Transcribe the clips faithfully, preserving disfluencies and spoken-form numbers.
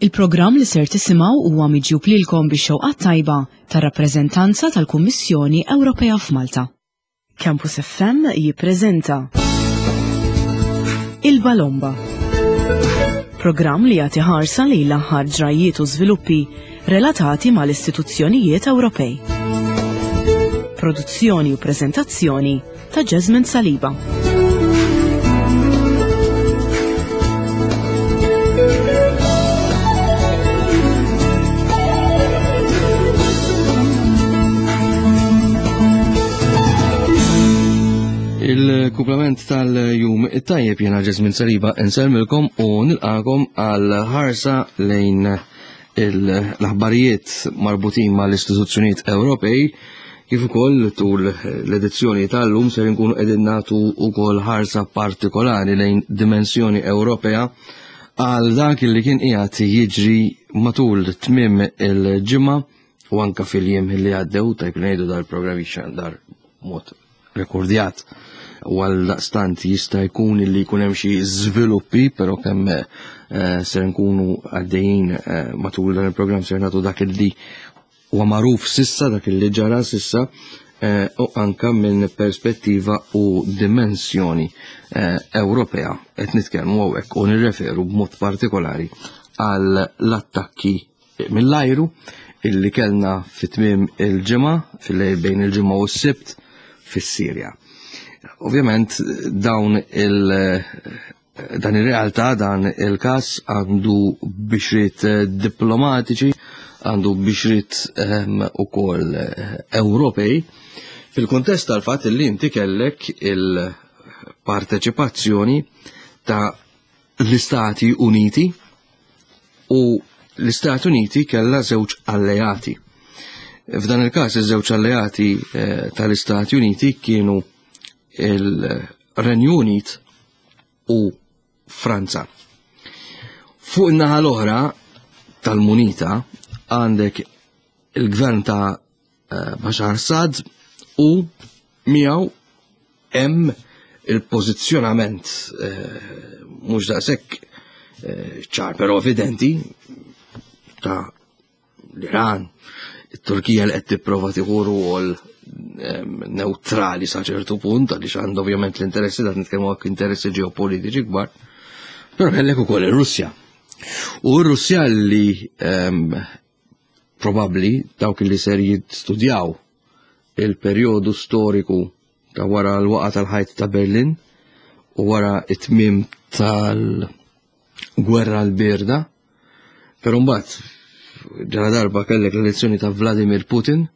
Il-programm li ser tisimgħu huwa miġjub lilkom bix-xewqa tajba tar-rappreżentanza tal-Kummissjoni Ewropea f'Malta. Campus F M jippreżenta Il-Balomba. Programm li jagħti ħarsa lejn l-aħħar ġrajiet u żviluppi relatati mal-istituzzjonijiet Ewropej. Produzzjoni u preżentazzjoni ta' Jasmine Saliba. Il-kumplament tal-jum it-tajjeb, jena Ġesmin Saliba insellmilkom u nilqakom għal ħarsa lejn l-aħbarijiet marbutin mal-istituzzjonijiet Ewropej, kif ukoll tul l-edizzjoni tal-lum ser nkunu qegħdin nagħtu wkoll ħarsa partikolari lejn dimensjoni Ewropea għal dak li kien qiegħed jiġri matul tmiem il-ġimgħa u anka fil-jiem li għaddew. Tajb ngħidu, dal-programm jixxandar mod rekordjat u għal daqstant jista' jkun li jkun hemm xi żviluppi, però kemm eh, ser nkunu għaddejjin eh, matul dan il-programm ser nagħtu dak li huwa magħruf sissa, dak li ġara sissa, eh, u anka minn perspettiva u dimensjoni Ewropea qed nitkellmu hawnhekk u nirreferu b'mod partikolari għal l-attakki mill-ajru illi kellna fit-tmiem il-ġimgħa, fil-lejl bejn il-ġimgħa u s-Sibt, fis-Sirja. Ovvjament dawn il dan ir-realtà, dan il-każ għandu bixriet diplomatiċi, għandu bixriet um, ukoll Ewropej, fil-kontest tal-fatt li inti kellek il-parteċipazzjoni ta' l-Istati Uniti u l-Istati Uniti kella żewġ alleati. F'dan il-każ iż-żewġ alleati eh, tal-Istati Uniti kienu il-Renju Unit u Franza. Fuq in-naħa l-oħra tal-munita għandek il-gvern ta' eh, Bashar Assad u miegħu hemm il-pożizzjonament eh, mhux daqshekk eh, ċar però evidenti ta' l-Iran, it-Turkija li qed tipprova tieħu rwol neutrali sa ċertu punt, għaliex għandu ovvjament l-interessi, dat nitkellmu għak interessi ġeopolitiċi kbar, però kellek ukoll ir-Russja. U r-Russja li probabbli dawk li ser jistudjaw il-perjodu storiku ta' wara l-waqa tal-ħajt ta' Berlin u wara it-tmiem tal-gwerra l-birda, però mbagħad ġara darba kellek l-elezzjoni ta' Vladimir Putin,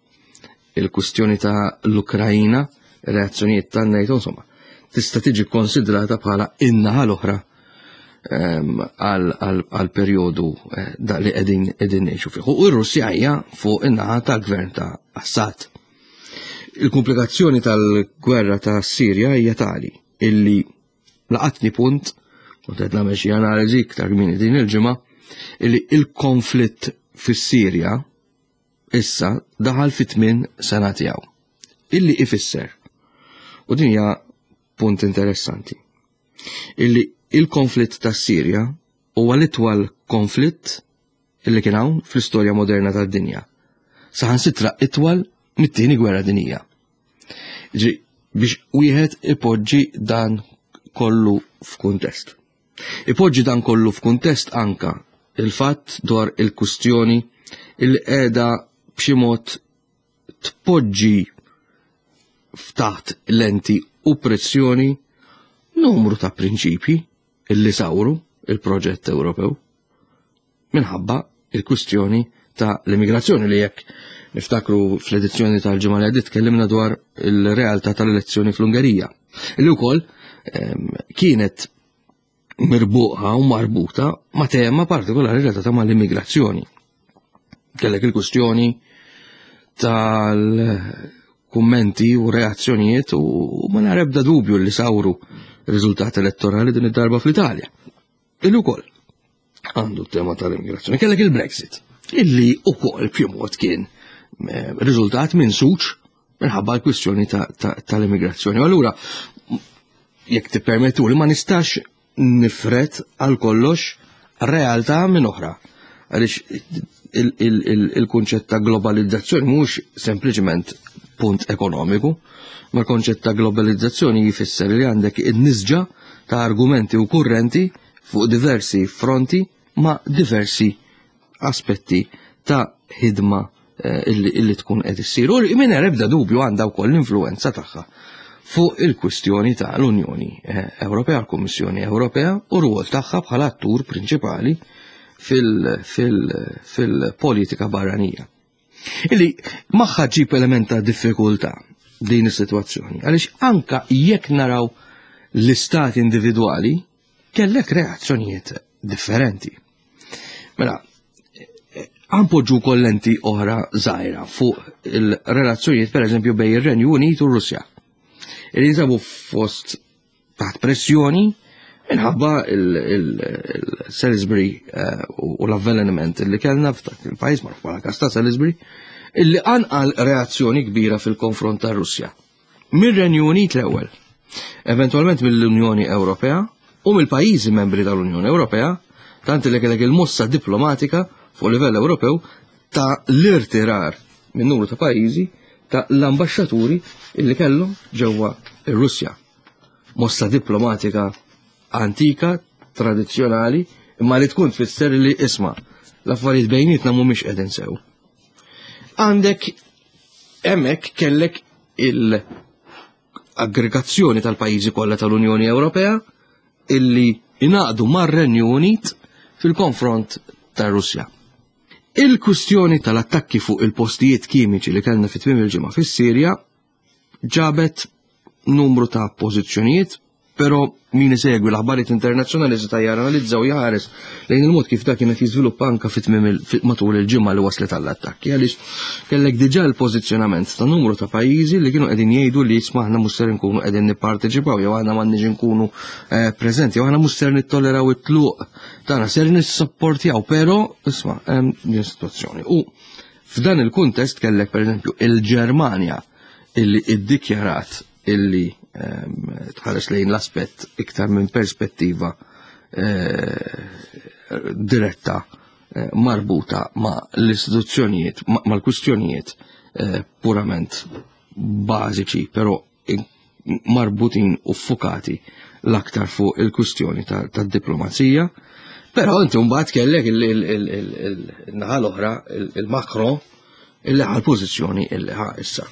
il-kustjoni ta' l-Ukrajina, reazzjonijiet ta' NATO, insomma, tista' tiġi konsidrata bħala in-naħa l-oħra għal perjodu eh, da li qegħdin qegħdin ngħixu fih. U r-Russja hija fuq in-naħa tal-gvern ta' Assad. Il-komplikazzjoni tal-gwerra ta' Sirja hija tali illi laqatni punt, u qed nagħmel xi analiżi iktar kmieni din il-ġimgħa, illi il-konflitt fis-Sirja issa daħal fit tmien sena tiegħu. Illi ifisser, u din hija punt interessanti, illi il-konflitt ta' Sirja huwa l-itwal konflitt illi kien hawn fl-istorja moderna tad-dinja. Saħansitra itwal mit-tieni gwerra dinjija. Ġi, biex wieħed ipoġġi dan kollu f'kuntest. Ipoġġi dan kollu f'kuntest anka il-fatt dwar il-kustjoni il qiegħda b'xi mod tpoġġi ftaħt lenti u pressjoni numru ta' prinċipji illi sawru il-proġett Ewropew minħabba il-kwistjoni ta' l-immigrazzjoni, li jekk niftakru fl-edizzjoni tal-ġimgħa li għaddiet tkellimna dwar il-realtà tal-elezzjoni fl-Ungerija. Illi wkoll ehm, kienet mirbuqa u marbuta ma' tema partikolari relatata ma' l-immigrazzjoni. Kellek il-kwistjoni tal-kummenti u reazzjonijiet u ma nara ebda dubju li sawru riżultat elettorali din id-darba fl-Italja. Illi wkoll għandu tema tal-immigrazzjoni. Kellek il-Brexit, illi ukoll b'xi mod kien eh, riżultat minn suċ minħabba l-kwistjoni tal-immigrazzjoni. U allura, jekk tippermettu li, ma nistax nifret għal kollox realtà minn oħra. Għaliex il-kunċett ta' globalizzazzjoni mhux sempliċement punt ekonomiku, ma l-konċett ta' globalizzazzjoni jfisser li għandek in-nisġa ta' argumenti u kurrenti fuq diversi fronti ma' diversi aspetti ta' ħidma illi, illi tkun qed issir. U mingħajr ebda dubju għandha wkoll l-influenza tagħha fuq il-kwistjoni ta' l-Unjoni Ewropea, l-Kummissjoni Ewropea u rwol tagħha bħala attur prinċipali fil-politika barranija. Illi magħha ġib element ta' diffikultà din is-sitwazzjoni, għaliex anka jekk naraw l-istati individwali kellek reazzjonijiet differenti. Mela, għampoġġu kollenti oħra żgħira fuq il-relazzjonijiet per eżempju bejn ir-Renju Unit u Russja. Illi jinsabu fost taħt pressjoni minħabba il-Salisbury u l-avveleniment li kellna f'dak il-pajjiż magħruf bħala każ ta' Salisbury, illi qanqal reazzjoni kbira fil-konfront ta' Russja. Mir-Renju Unit l-ewwel, eventualment mill-Unjoni Ewropea u mill-pajjiżi membri tal-Unjoni Ewropea, tant li kellek il-mossa diplomatika fuq livell Ewropew ta' l-irtirar minn numru ta' pajjiżi ta' l-ambaxxaturi illi kellhom ġewwa ir-Russja. Mossa diplomatika antika, tradizzjonali, imma li tkun tfisser li isma' l-affarijiet bejnietna mhumiex qegħdin sew. Għandek hemmhekk kellek il-aggregazzjoni tal-pajjiżi kollha tal-Unjoni Ewropea illi ingħaqdu mar-Renju Unit fil-konfront tar-Russja. Il-kwistjoni tal-attakki fuq il-postijiet kimiċi li kellna fit-tmiem il-ġimgħa fis-Sirja ġabet numru ta' pożizzjonijiet, però min isegwi l-aħbarijiet internazzjonali seta' janalizza u jaħares lejn il-mod kif dak kienet jiżviluppa anka fit-tmiem matul il-ġimgħa li waslet għall-attakki, għaliex kellek diġà l-pożizzjonament ta' numru ta' pajjiżi li kienu qegħdin jgħidu li isma' aħna mhux ser inkunu qegħdin nipparteċipaw jew aħna m'għandniex inkunu preżenti jew aħna mhux ser nittolleraw it-tluq tagħna, ser nissapportjaw, però isma' hemm din sitwazzjoni. U f'dan il-kuntest kellek pereżempju il-Ġermanja illi iddikjarat illi tħares lejn l-aspett iktar minn perspettiva diretta marbuta ma' l-istituzzjonijiet, mal-kwistjonijiet purament bażiċi, però marbutin u fukati l-aktar fuq il-kwistjoni tad-diplomazija. Però inti mbagħad kellek il-naħa l-oħra, il-Macron, illi ħa l-pożizzjoni illi ħa issa.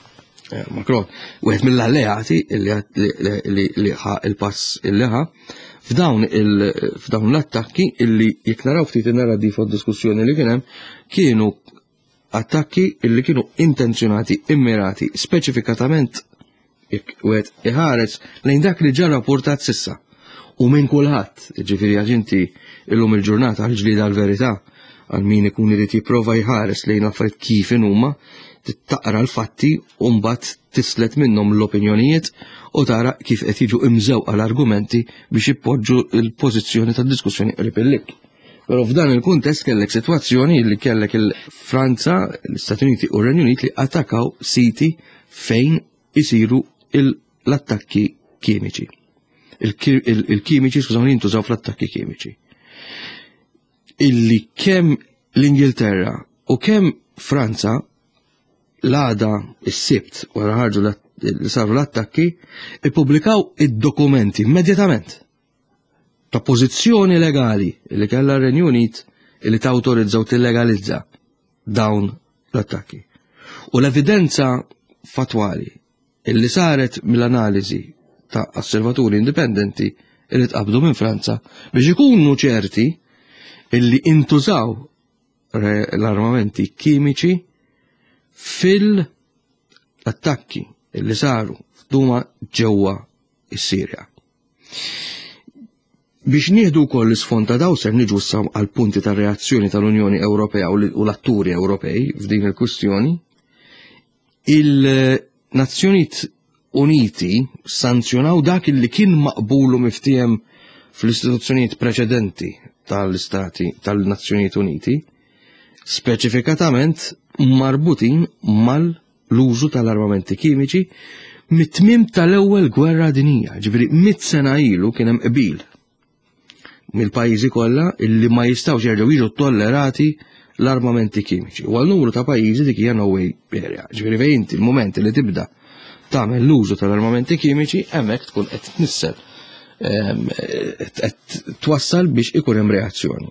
Macron, wieħed mill-alleati li ħa il-pass illi ħa f'dawn f'dawn l-attakki illi jekk naraw ftit in-narrativa u diskussjoni li kien hemm kienu attakki illi kienu intenzjonati, immirati, speċifikatament jekk wieħed iħares lejn dak li ġa rapportat sissa. U minn kulħadd, ġifieri għax inti illum il-ġurnata għal-ġlieda għal-verità, għal min ikun irid jipprova jħares lejn affarijiet kif inhuma, taqra l-fatti u mbagħad tislet minnhom l-opinjonijiet u tara kif qed jiġu imżewqa l-argumenti biex jippoġġu l-pożizzjoni tad-diskussjoni qrib il-lik. Però f'dan il-kuntest kellek sitwazzjoni li kellek il-Franza, l-Istati Uniti u r-Renju Unit li attakkaw siti fejn isiru l-attakki kimiċi. Il-kimiċi, skużawni, jintużaw fl-attakki kimiċi. Illi kemm l-Ingilterra u kemm Franza l-għada is-Sibt wara ħarġu li saru l-attakki, ippubblikaw id-dokumenti immedjatament ta' pożizzjoni legali li kellha r-Renju Unit li tawtorizza u tillegalizza dawn l-attakki. U l-evidenza fatwali illi saret mill-analiżi ta' osservaturi indipendenti illi tqabdu minn Franza biex ikunu ċerti illi intużaw l-armamenti kimiċi fil-attakki illi saru f'Duma ġewwa is-Sirja. Biex nieħdu wkoll l-isfond ta' daw ser niġu issa għal punti ta' reazzjoni tal-Unjoni Ewropea u l-atturi Ewropej f'din il-kwistjoni, il-Nazzjonijiet Uniti sanzjonaw dak li kien maqbulu miftiehem fl-istituzzjonijiet preċedenti tal-Istati tal-Nazzjonijiet Uniti, speċifikatament marbutin mal-użu tal-armamenti kimiċi mit-tmiem tal-ewwel gwerra dinija, ġifieri mitt sena ilu kien hemm qbil mill-pajjiżi kollha illi ma jistgħux jerġgħu jiġu tollerati l-armamenti kimiċi. U għal numru ta' pajjiżi dik hija no way area. Ġifieri fejn inti l-mument li tibda tagħmel l-użu tal-armamenti kimiċi, hemmhekk tkun qed tnissel, qed twassal biex ikun hemm reazzjoni.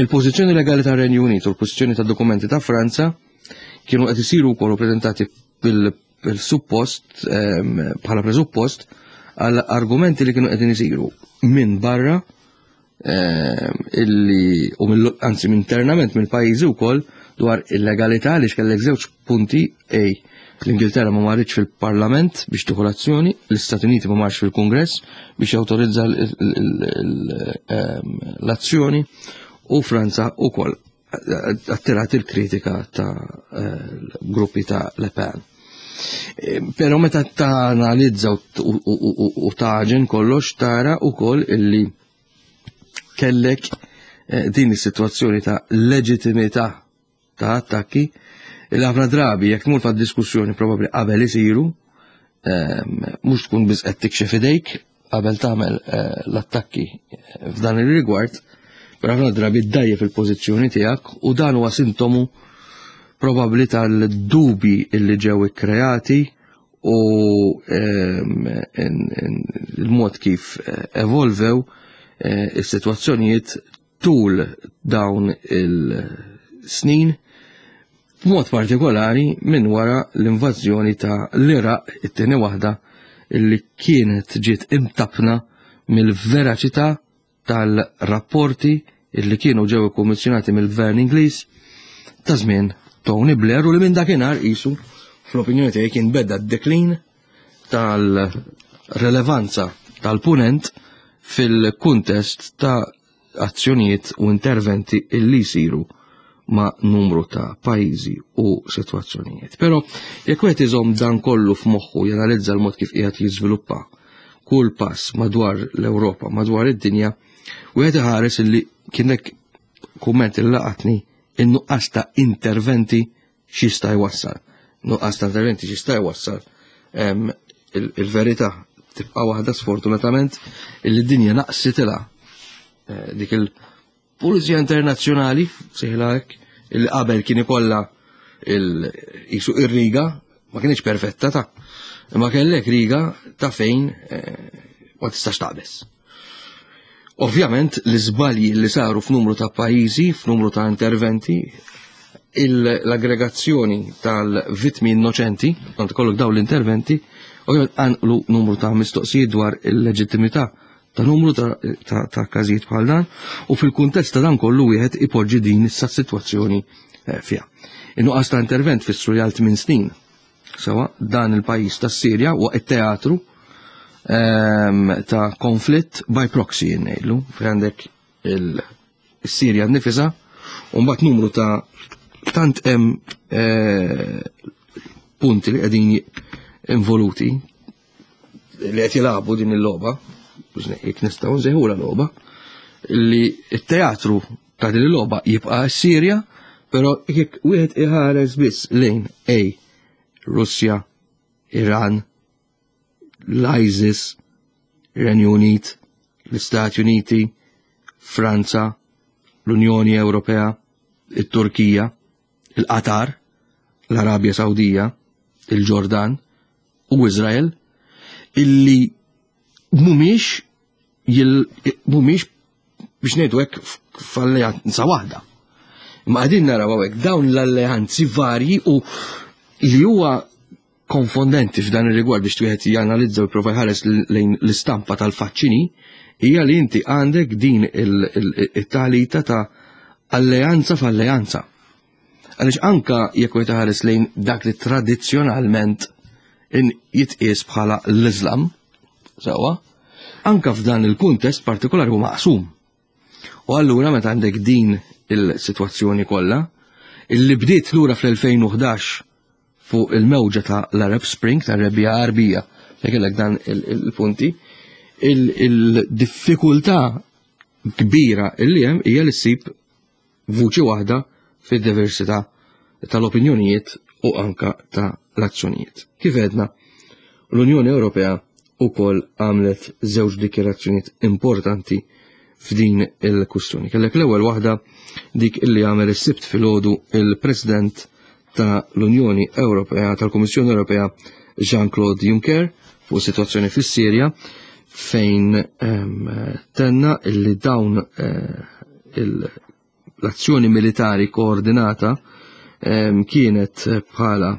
Il-pożizzjoni legali tar-Renju Unit u l-pożizzjoni ta' dokumenti ta' Franza kienu qed isiru wkoll preżentati bil-suppost, bħala presuppost għal argumenti li kienu qegħdin isiru minn barra illi u mill, anzi internament mill-pajjiżi wkoll dwar il-legalità, li x'kellek żewġ punti: A, l-Ingilterra ma marritx fil-Parlament biex tieħu l-azzjoni, l-Istati Uniti ma marx fil-Kungress biex jawtorizza l-azzjoni u Franza wkoll attirat il-kritika ta' gruppi ta' Le Pen. Pero meta ta' analizza u taġen kollox, tara wkoll illi kellek din is-sitwazzjoni ta' leġitimità ta' attakki il ħafna drabi jekk tmur fad-diskussjoni probabbli qabel isiru, mhux tkun biss qed tikxef idejk qabel tagħmel l-attakki f'dan ir-rigward, però ħafna drabi ddajjef il-pożizzjoni tiegħek, u dan huwa sintomu probabbli tal-dubi illi ġew ikkreati u il-mod kif evolvew is-sitwazzjonijiet tul dawn il-snin, b'mod partikolari minn wara l-invażjoni ta' l-Iraq, it-tieni waħda, illi kienet ġiet imtapna mill-veraċità tal-rapporti illi kienu ġew ikkummissjonati mill-Gvern Ingliż ta' żmien Tony Blair, u li minn dakinhar qisu fl-opinjoni tiegħi kien beda d-deklin tal-relevanza tal-punent fil-kuntest ta' azzjonijiet u interventi illi jsiru ma' numru ta' pajjiżi u sitwazzjonijiet. Però jekk wieħed iżomm dan kollu f'moħħu, janalizza l-mod kif qiegħed jiżviluppa kull pass madwar l-Ewropa, madwar id-dinja, wieħed iħares illi kienek kumment il laqatni, in-nuqqas ta' interventi x'jista' jwassal. Nuqqas ta' interventi x'jista' jwassal. Il-verità tibqa' waħda, sfortunatament, illi d-dinja naqsitilha dik il-Pulizija Internazzjonali, sejħilha hekk, illi qabel kien ikollha il-jisu ir-riga, ma kienx perfetta ta' imma kellek riga ta' fejn ma tistax taqbeż. Ovvjament l-iżbalji li saru f'numru ta' pajjiżi, f'numru ta' interventi, l-aggregazzjoni tal-vittmi innoċenti, kont kollok dawn l-interventi, ovvjament qanqlu numru ta' mistoqsijiet dwar il-leġittimità ta' numru ta', ta, ta każijiet bħal dan, u fil-kuntest ta' dan kollu wieħed ipoġġi din issa sitwazzjoni eh, fiha. In-nuqqas ta' intervent fissru li għal tmien snin sewa dan il-pajjiż tas-Sirja waqt it-teatru ehm, ta' konflitt by proxy ngħidlu, fejn għandek il-Sirja nnifisha u mbagħad numru ta' tant hemm eh, punti li qegħdin involuti li qed jilagħbu din il-logħba, jekk nistgħu nsejħula logħba, li t-teatru ta' din il-logħba jibqa' s-Sirja, però jekk wieħed iħares biss lejn A, Russja, Iran, l-ISIS, Renju Unit, l-Istati Uniti, Franza, l-Unjoni Ewropea, it-Turkija, il-Qatar, l-Arabja Sawdija, il-Ġordan u Izrael, illi mhumiex mhumiex biex ngħidu hekk f'alleanza waħda. Imma qegħdin naraw hawnhekk dawn l-alleanzi varji, u li huwa konfondenti f'dan ir-rigward biex wieħed janalizza u jipprova jħares lejn l-istampa tal-faċċini hija li inti għandek din it-talita ta' alleanza f'alleanza. Għaliex anka jekk wieħed iħares lejn dak li tradizzjonalment jitqies bħala l-Islam, sewwa, anka f'dan il-kuntest partikolari huwa maqsum. U allura meta għandek din il-sitwazzjoni kollha, illi bdiet lura fl-elfejn u ħdax fuq il-mewġa ta' l-Arab Spring, ta' Rebbiegħa Għarbija, fejn kellek dan il-punti, il-diffikultà kbira illi hemm hija li ssib vuċi waħda fid-diversità tal-opinjonijiet u anka ta' l-azzjonijiet. Kif għedna, l-Unjoni Ewropea wkoll għamlet żewġ dikjarazzjonijiet importanti f'din il-kwistjoni. Kellek l-ewwel waħda dik illi għamel is-Sibt filgħodu il-President ta' l-Unjoni Ewropea, tal-Kummissjoni Ewropea, Jean-Claude Juncker, fuq situazzjoni fis-Sirja, fejn ehm, tenna illi dawn eh, l-azzjoni militari koordinata ehm, kienet bħala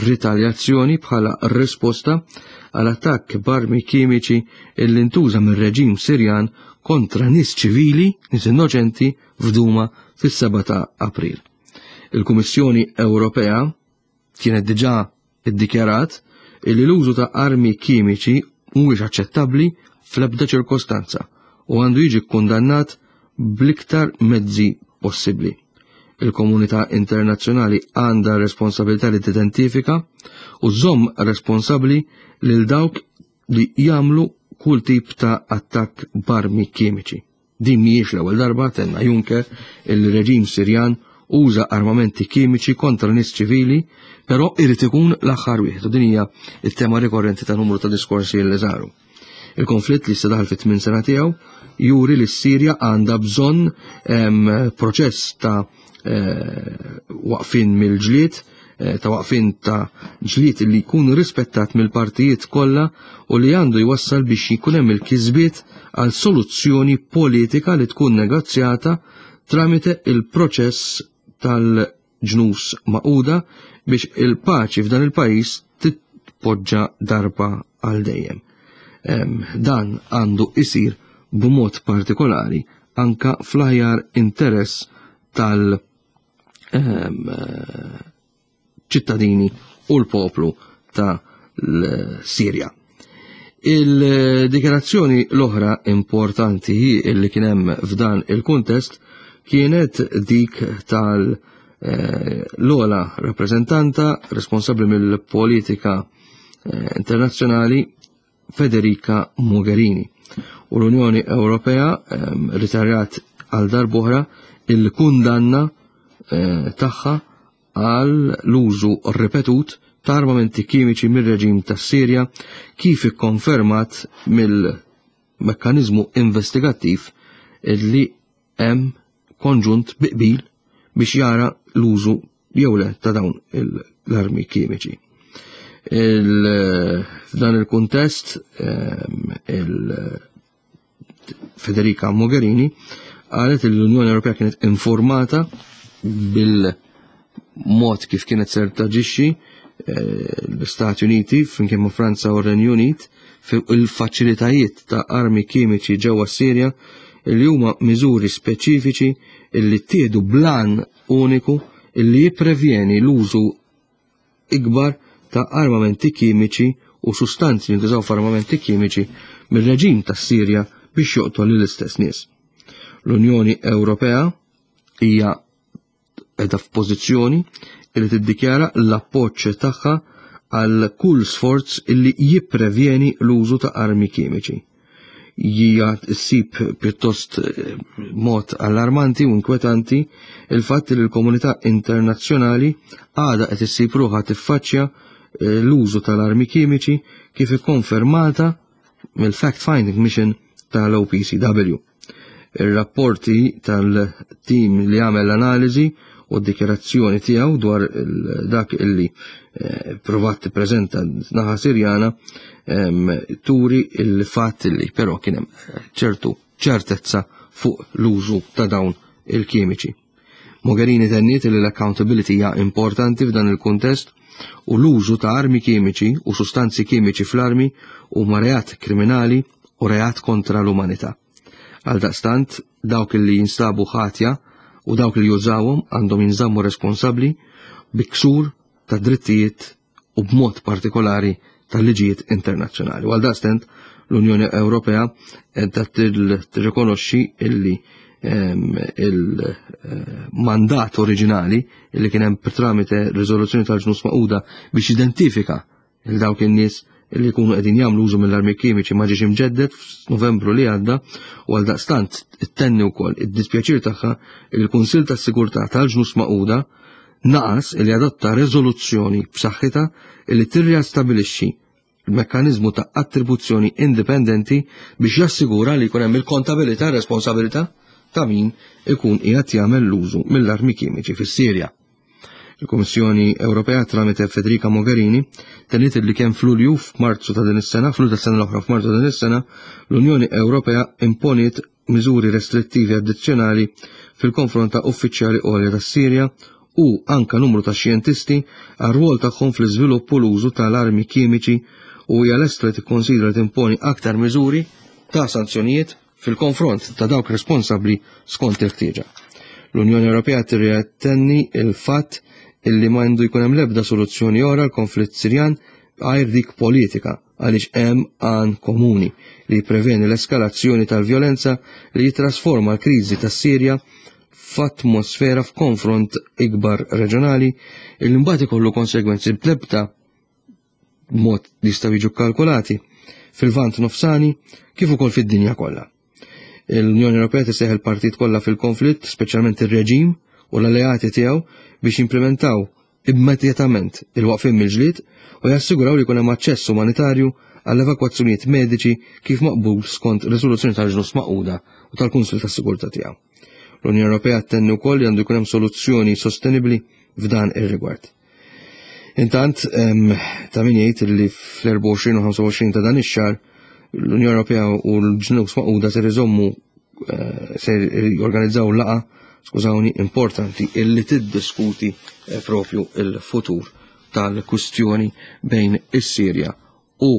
ritaljazzjoni, bħala risposta għal attakk b'armi kimiċi illi ntuża mir-reġim Sirjan kontra nies ċivili, nies innoċenti, f'Duma fis-seba ta' April. Il-Kummissjoni Ewropea kienet diġà iddikjarat illi l-użu ta' armi kimiċi mhuwiex aċċettabbli fl-ebda ċirkostanza u għandu jiġi kkundannat bl-iktar mezzi possibbli. Il-komunità internazzjonali għandha responsabilità li tidentifika u żomm responsabbli lil dawk li jagħmlu kull tip ta' attakk b'armi kimiċi. Din mhijiex l-ewwel darba, tenna Juncker, il-reġim Sirjan uża armamenti kimiċi kontra nies ċivili, però irid ikun l-aħħar wieħed. U din hija t-tema rikorrenti ta' numru ta' diskorsi li saru. Il-konflitt li daħal fit-tmien sena tiegħu juri li s-Sirja għandha bżonn proċess ta' eh, waqfin mill-ġlied, eh, ta' waqfin ta' ġlied li jkun rispettat mill-partijiet kollha u li għandu jwassal biex jkun hemm il-kisbiet għal soluzzjoni politika li tkun negozjata tramite il-proċess tal-Ġnus Magħquda biex il-paċi f'dan il-pajjiż titpoġġa darba għal dejjem. Dan għandu isir b'mod partikolari anka fl-aħjar interess tal- ċittadini u l-poplu ta' l-Sirja. Il-dikjarazzjoni l-oħra importanti li kien hemm f'dan il-kuntest kienet dik tal- eh, l-ogħla rappreżentanta responsabbli mill-politika eh, internazzjonali, Federica Mogherini. U l-Unjoni Ewropea ehm, ritarjat għal darb'oħra il-kundanna eh, tagħha għal l-użu ripetut ta' armamenti kimiċi mir-reġim tas Sirja, kif ikkonfermat mill-mekkanizmu investigattiv li hemm konġunt bi qbil biex jara l-użu jew le ta' dawn l-armi kimiċi. F'dan il-kuntest, ehm, il Federica Mogherini qalet li l-Unjoni Ewropea kienet informata bil-mod kif kienet ser taġixxi eh, l-Istati Uniti flimkien ma' Franza u r-Renju Unit il-faċilitajiet ta' armi kimiċi ġewwa Sirja, li huma miżuri speċifiċi illi ttieħdu b'għan uniku illi jipprevjeni l-użu ikbar ta' armamenti kimiċi u sustanzi li jintużaw f'armamenti kimiċi mir-reġim tas Sirja biex joqtol lill-istess nies. L-Unjoni Ewropea hija qiegħda f'pożizzjoni li tiddikjara l-appoġġ tagħha għal kull sforz illi jipprevjeni l-użu ta' armi kimiċi. Hija ssib pjuttost eh, mod allarmanti u inkwetanti il-fatt li l-komunità internazzjonali għada qed issib ruħha tiffaċċja eh, l-użu tal-armi kimiċi, kif ikkonfermata mill-Fact Finding Mission tal-O P C W. Ir-rapporti tal-tim li għamel l-analiżi u d-dikjarazzjoni tiegħu dwar dak illi eh, provat tippreżenta naħa Sirjana turi il-fatt li però kien hemm eh, ċertu ċertezza fuq l-użu ta' dawn il-kimiċi. Mogherini tenniet li l-accountability hija importanti f'dan il-kuntest u l-użu ta' armi kimiċi u sustanzi kimiċi fl-armi huma reat kriminali u reat kontra l-umanità. Għal daqstant, dawk li jinstabu ħatja u dawk li jużawhom għandhom jinżammu responsabbli bi ksur ta' drittijiet u b'mod partikolari tal-liġijiet internazzjonali. U għal daqstant l-Unjoni Ewropea edha tirrikonoxxi illi il-mandat oriġinali illi kien hemm tramite riżoluzzjoni tal-Ġnus Magħquda biex identifika il dawk in-nies illi jkunu qegħdin jagħmlu użu mill-armi kimiċi ma ġiex imġedded f'Novembru li għadda, u għal daqstant ittenni wkoll id-dispjaċir tagħha il-Kunsill tas-Sigurtà tal-Ġnus Magħquda naqas li adotta riżoluzzjoni b'saħħitha illi tirriastabilixxi mekkaniżmu ta' attribuzzjoni indipendenti biex jassigura li jkun hemm il-kontabilità e responsabilità ta' min ikun qiegħed jagħmel l-użu mill-armi kimiċi fis-Sirja. Il-Kummissjoni Ewropea tramite Federica Mogherini tenniet li kemm f'Lulju f'Marzu ta' din is-sena, f'Lulju tas-sena l-oħra f'Marzu ta' din is-sena, l-Unjoni Ewropea imponiet miżuri restrittivi addizzjonali fil-konfront ta' uffiċjali għolja tas-Sirja u anka numru ta' xjentisti għar-rwol tagħhom fl-iżvilupp u l-użu tal-armi kimiċi u hija lesta li tikkonsidra timponi aktar miżuri ta' sanzjonijiet fil-konfront ta' dawk responsabbli skont il-ħtieġa. L-Unjoni Ewropea tirriattenni il-fatt illi ma għandu jkun hemm l-ebda soluzzjoni oħra l-konflitt Sirjan għajr dik politika għaliex hemm għan komuni li jippreveni l-eskalazzjoni tal-vjolenza li jitrasforma l-kriżi tas-Sirja f'atmosfera f'konfront ikbar reġjonali illi mbagħad ikollu konsegwenzi bl-ebda mod li jistgħu jiġu kkalkulati fil-Lvant Nofsani kif ukoll fid-dinja kollha. L-Unjoni Ewropea tissejjaħ il-partit kollha fil-konflitt, speċjalment ir-reġim u l-alleati tiegħu biex jimplementaw immedjatament il-waqfien mill-ġlied u jassiguraw li jkun hemm aċċess umanitarju għall-evakwazzjonijiet mediċi kif maqbul skont riżoluzzjoni tal-Ġnus Magħquda u tal-Kunsil tas-Sigurtà tiegħu. L-Unjoni Ewropea tenni wkoll li għandu jkun hemm soluzzjoni sostenibbli f'dan ir-rigward. Intant, ta' min jgħid li fl-erbgħa u għoxrin u ħamsa u għoxrin ta' dan ix-xahar l-Unjoni Ewropea u l-Ġnus Magħquda ser iżommu ser jorganizzaw laqa, skużawni, importanti illi tiddiskuti propju il-futur tal-kustjoni bejn is-Sirja u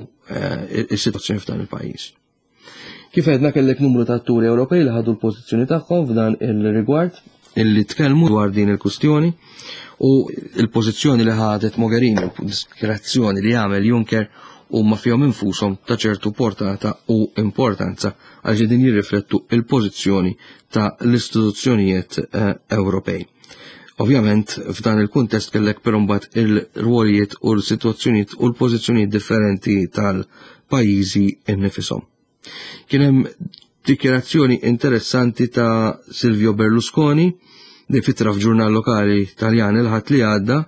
is-sitwazzjoni f'dan il-pajjiż. Kif għedna kellek numru ta' atturi Ewropej li ħadu l-pożizzjoni tagħhom f'dan il-rigward illi tkellmu dwar din il-kustjoni u il-pożizzjoni li ħadet Mogherini u diskrezzjoni li għamel Juncker huma fihom infushom ta' ċertu portata u importanza għal din jirriflettu il-pożizzjoni ta' l-istituzzjonijiet Ewropej. Ovvjament f'dan il-kuntest kellek però mbagħad il-rwolijiet u l-sitwazzjonijiet u l-pożizzjonijiet differenti tal-pajjiżi innifisom. Kien hemm dikjarazzjoni interessanti ta' Silvio Berlusconi li fitra f'ġurnal lokali Taljan il-Ħadd li għadda,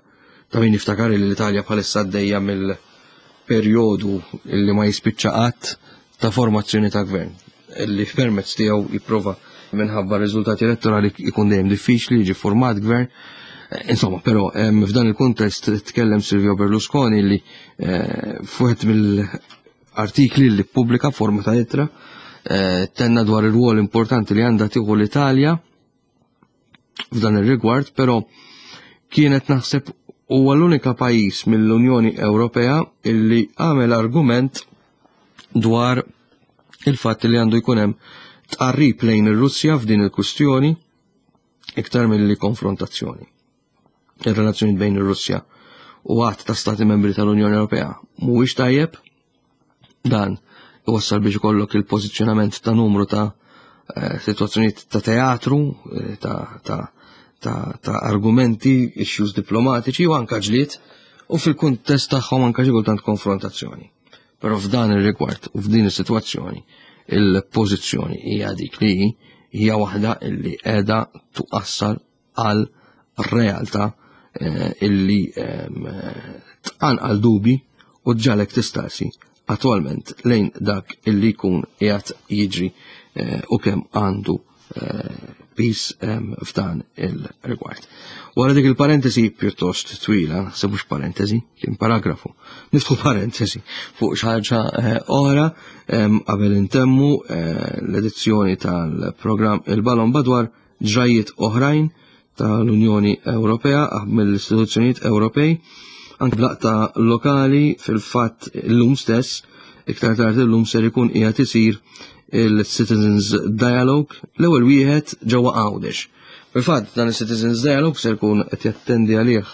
ta' min jiftakar li l-Italja bħalissa għaddejja mill-perjodu li ma jispiċċa qatt ta' formazzjoni ta' gvern, li permezz tiegħu jipprova minħabba riżultati elettorali jkun dejjem diffiċli jiġi format gvern. Insomma, però f'dan il-kuntest tkellem Silvio Berlusconi li fuħet mill-artikli li ppubblika forma ta' ittra tenna dwar ir-rwol importanti li għandha tieħu l-Italja f'dan ir-rigward, però kienet naħseb huwa l-unika pajjiż mill-Unjoni Ewropea illi għamel argument dwar il-fatt li għandu jkun hemm tqarrib lejn ir-Russja f'din il-kustjoni iktar milli konfrontazzjoni. Ir-relazzjoni bejn ir-Russja u għadd ta' stati membri tal-Unjoni Ewropea mhuwiex tajjeb, dan iwassal biex ikollok il-pożizzjonament ta' numru ta' situazzjonijiet ta' teatru, ta', ta, ta, ta' argumenti, issues diplomatiċi u anka ġlied, u fil-kuntest tagħhom anka xi kultant konfrontazzjoni. Però f'dan ir-rigward u f'din is-sitwazzjoni il-pożizzjoni hija dik li hija waħda illi qiegħda tuqassal għal realtà illi tqanqal dubi u ġalek tistaqsi attwalment lejn dak illi jkun qiegħed jiġri u kemm għandu pis f'dan il-rigward. Wara dik il-parentesi pjuttost twila, se mhux parentesi, kien paragrafu, niftħu parentesi fuq xi ħaġa oħra qabel intemmu l-edizzjoni tal-programm Il-Balon badwar ġrajiet oħrajn tal-Unjoni Ewropea mill-istituzzjonijiet Ewropej, anke blaqta lokali. Fil-fatt illum stess, iktar tard illum ser ikun qiegħed isir il-Citizens Dialogue, l-ewwel wieħed ġewwa Għawdex. Fil-fatt dan il-Citizens Dialogue ser ikun qed jattendi għalih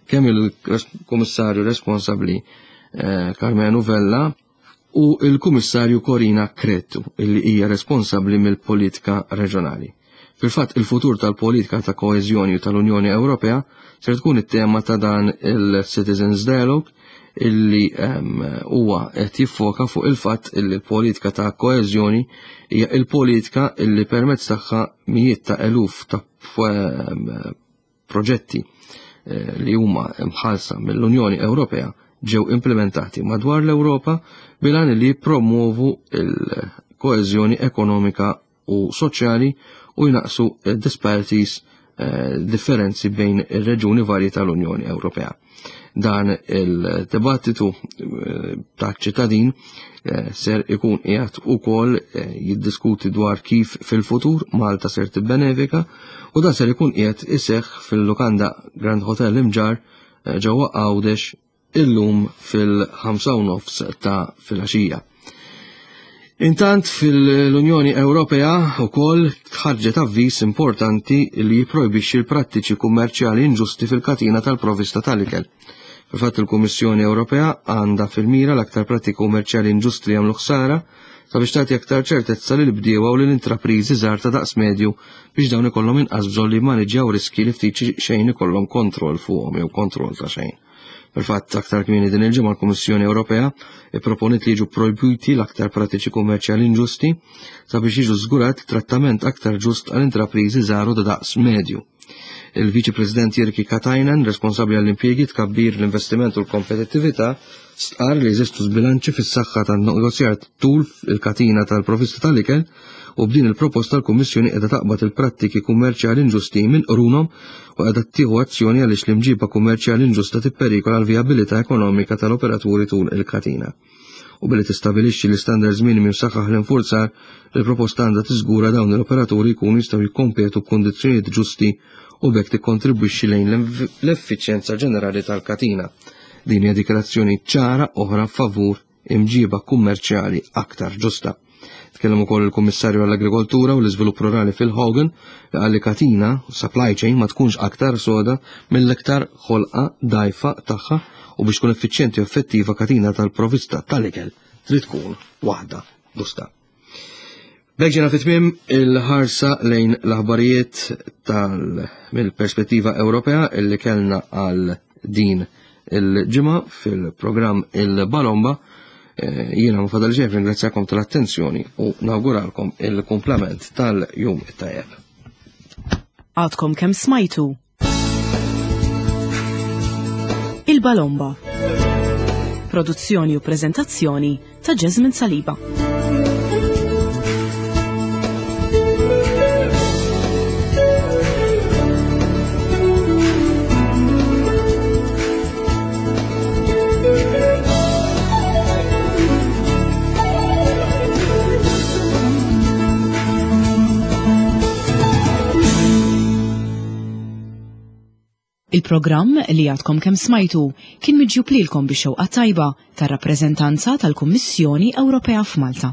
kemm il-Kummissarju responsabbli Karmenu Vella u il-Kummissarju Corina Cretu illi hija responsabbli mill-politika reġjonali. Fil-fatt il-futur tal-politika ta' koeżjoni tal-Unjoni Ewropea ser tkun it-tema ta' dan il-Citizens Dialogue illi huwa qed jiffoka fuq il-fatt illi l-politika ta' koeżjoni hija il-politika illi permezz tagħha mijiet ta' eluf ta' proġetti li huma mħallsa mill-Unjoni Ewropea ġew implementati madwar l-Ewropa bil-għan li jippromovu il-koeżjoni ekonomika u soċjali u jnaqsu disparities, eh, differenzi bejn ir-reġuni varji tal-Unjoni Ewropea. Dan il-dibattitu eh, ta' ċittadin eh, ser ikun qiegħed ukoll jiddiskuti dwar kif fil-futur Malta ser tibbenefika u dan ser ikun qiegħed iseħħ fil-lukanda Grand Hotel Imġarr ġewwa Għawdex illum fil-ħamsa u nofs ta' filgħaxija. Intant fil-Unjoni Ewropea wkoll ħarġet avviż importanti li jipprojbixxi l-prattiċi kummerċjali inġusti fil-katina tal-provista tal-ikel. Fil-fatt, il-Kummissjoni Ewropea għandha fil-mira l-aktar prattiki kummerċjali inġusti li jagħmlu ħsara sabiex tagħti aktar ċertezza lil bdiewa u lil intrapriżi żgħar ta' daqs medju biex dawn ikollhom inqas bżonn li jmaniġġjaw riski li ftit xejn ikollhom kontroll fuqhom jew kontroll ta' xejn. Fil-fatt, aktar kmieni din il-ġimgħa l-Kummissjoni Ewropea ipproponiet li jiġu projbiti l-aktar prattiċi kummerċjali inġusti sabiex jiġu żgurat trattament aktar ġust għal intrapriżi żgħar u ta' daqs medju. Il-Viċi President Jyrki Katainen, responsabbli għall-impjiegi, tkabbir, l-investiment u l-kompetittività, stqar li jeżistu żbilanċi fis-saħħa tan-negozjar tul il-katina tal-provista tal-ikel u b'din il-proposta l-Kummissjoni qiegħda taqbad il-prattiki kummerċjali inġusti minn qrunhom u qiegħda tieħu azzjoni għaliex l-imġiba kummerċjali inġusta tipperikola l-vijabilità ekonomika tal-operaturi tul il-katina. U billi tistabilixxi l-istandards minimi u ssaħħaħ l-infurzar, il-proposta għandha tiżgura dawn l-operaturi jkunu jistgħu jikkompetu b'kundizzjonijiet ġusti u b'hekk tikkontribwixxi lejn l-effiċjenza ġenerali tal-katina. Din hija dikjarazzjoni ċara oħra favur imġiba kummerċjali aktar ġusta. Tkellem ukoll il-Kummissarju għall-Agrikoltura u l-Iżvilupp Rurali Phil Hogan li qal li katina supply chain ma tkunx aktar soda mill-iktar ħolqa dgħajfa tagħha u biex tkun effiċjenti u effettiva katina tal-provista tal-ikel trid tkun waħda ġusta. B'hekk ġejna fi tmiem il-ħarsa lejn l-aħbarijiet tal mill-perspettiva Ewropea illi kellna għal din il-ġimgħa fil-programm Il-Balomba. Eh, jiena ma fadal ġejf ringrazzjakom tal-attenzjoni u nawguralkom il-kumplament tal-jum it-tajjeb. Għadkom kemm smajtu Il-Balomba. Produzzjoni u prezentazzjoni ta' Jasmine Saliba. Il-programm li għadkom kemm smajtu kien miġjub lilkom bix-xewqa tajba tar-rappreżentanza tal-Kummissjoni Ewropea f'Malta.